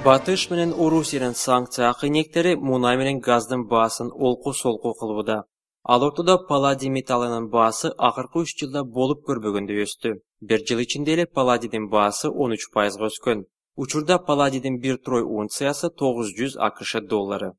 Батыш менен Орусиянын санкция акыйнектери мунай менен газдын баасын олку-солку кылууда. Ал ортодо палладий металлынын баасы акыркы 3 жылда болуп көрбөгөндөй өстү. Bir жыл ичинде эле палладийдин баасы 13% өскөн. Учурда палладийдин 1 трой унциясы 900 АКШ доллары.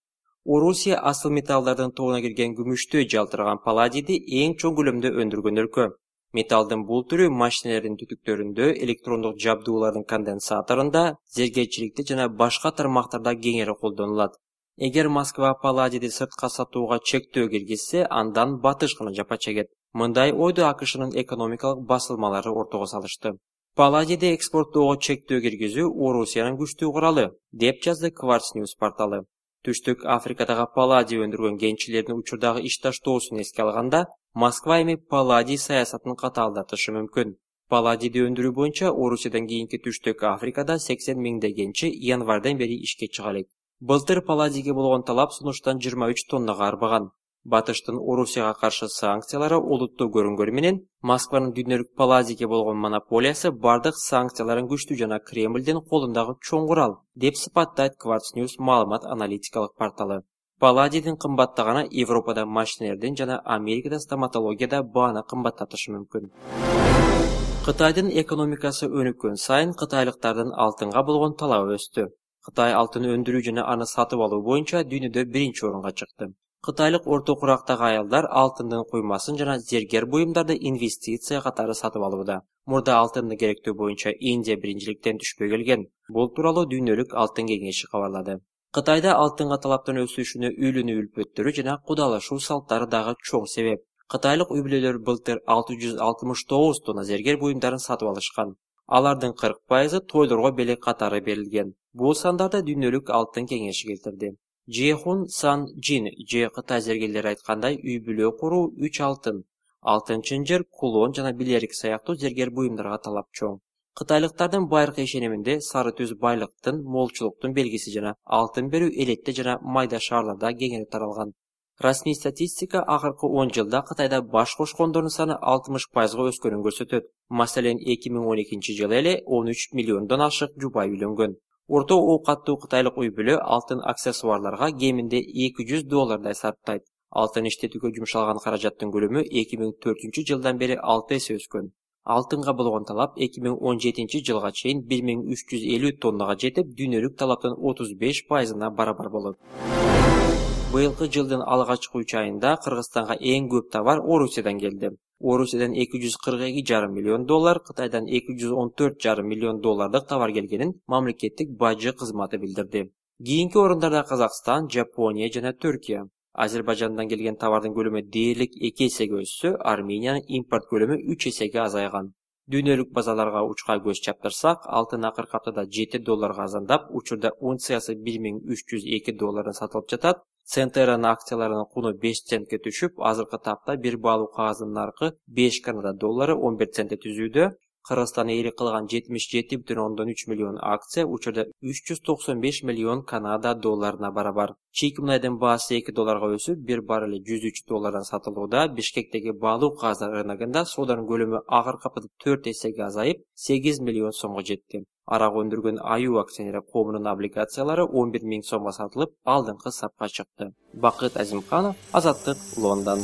Орусия асыл металлдардын тобуна кирген күмүштөй жалтыраган палладийди эң чоң көлөмдө өндүргөн өлкө. Металдын бул түрү машиналардын түтүктөрүндө, электрондук жабдуулардын конденсаторунда, зергечиликте жана башка тармактарда кеңири колдонулат. Эгер Москва палладийди сыртка сатууга чектөө киргизсе, андан батыш гана жапа чегет. Мындай ойду АКШнын экономикалык басылмалары ортого салышты. Палладийди экспорттоого чектөө киргизүү Орусиянын күчтүү куралы, деп жазды Quartz News порталы. Түштүк Африкадагы палладий өндүргөн кенчилердин учурдагы ишташтоосун эске алганда, Москва эми палладий саясатын катаалдатышы мүмкүн. Палладийди өндүрүү боюнча Орусиядан кийинки Түштүк Африкада 80 миңдей кенчи январдан бери ишке чыга элек. Былтыр палладийге болгон талап сунуштан 23 тоннага арбаган. Батыштын Орусияга каршы санкциялары олуттуу көрүнгөнү менен, Москванын дүйнөлүк палладийге болгон монополиясы бардык санкцияларын күчтүү жана Кремлдин колундагы чоң курал, деп сыпаттайт Quartz News маалымат аналитикалык порталы. Палладийдин кымбаттаганы Европада машиналардын жана Америкада стоматологияда бааны кымбаттатышы мүмкүн. Кытайдын экономикасы өнүккөн сайын кытайлыктардын алтынга болгон талабы өстү. Кытай алтын өндүрүү жана аны сатып алуу боюнча дүйнөдө биринчи орунга чыкты. Кытайлык орто курактагы аялдар алтындын куймасын жана зергер буюмдарды инвестиция катары сатып алууда. Мурда алтынды керектөө боюнча Индия биринчиликтен түшпөй келген. Бул тууралуу дүйнөлүк алтын кеңеши кабарлады. Кытайда алтынга талаптын өсүшүнө үйлөнүү үлпөттөрү жана кудалашуу салттары дагы чоң себеп. Кытайлык үй бүлөлөр былтыр 669 тонна зергер буюмдарын сатып алышкан. Алардын 40% тойлорго белек катары берилген. Бул сандарды дүйнөлүк алтын кеңеши келтирди. Жехун Сан Джин же Кытай зергерлери айткандай, үй бүлө куруу 3 алтын чынжыр, кулон жана билерик сыяктуу зергер буюмдарга талап чоң. Кытайлыктардын байыркы ишениминде сары түз байлыктын, молчулуктун белгиси жана алтын берүү элетте жана майда шаарларда кеңири таралган. Расмий статистика акыркы 10 жылда Кытайда баш кошкондордун саны 60% өскөнүн көрсөтөт. Маселен, 2012 жылы эле 13 миллиондон ашык жубай үйлөнгөн. Орто оокаттуу кытайлык үй бүлө алтын аксессуарларга кеминде $200 сарптайт. Алтын иштетүүгө жумшалган каражаттын көлөмү 2004 жылдан бери 6 эсе өскөн. Алтынга болгон талап 2017 жылга чейин 1350 тоннага жетип, дүйнөлүк талаптын 35%-на барабар болот. Быйылкы жылдын алгачкы 3 айында Кыргызстанга эң көп товар Орусиядан келди. Орусиядан $242,5 миллион, Кытайдан $214,5 миллион товар келгенин мамлекеттик бажы кызматы билдирди. Кийинки орундарда Казакстан, Жапония жана Түркия. Азербайжандан келген товардын көлөмү дээрлик 2 эсеге өссө, Армениянын импорт көлөмү 3 эсеге азайган. Дүйнөлүк базарларга учка көз чаптырсак, алтын акыркы аптада $7 азандап, учурда унциясы $1302 сатылып жатат. Центеранын акцияларынын куну 5 центке түшүп, азыркы тапта бир баалуу кагаздын наркы 5 Канада доллары 11 центте түзүүдө. Кыргызстан ээлик кылган 77,3 миллион акция учурда 395 миллион Канада долларына барабар. Чийки мунайдын баасы $2 өсүп, бир баррели $103 сатылууда. Бишкектеги баалуу кагаздар рыногунда сооданын көлөмү акыркы аптада 4 эсеге азайып, 8 миллион сомго жетти. Арак өндүргөн Аю акционер коомунун облигациялары 11 миң сомго сатылып, алдыңкы сапка чыкты. Бакыт Азимканов, Азаттык, Лондон.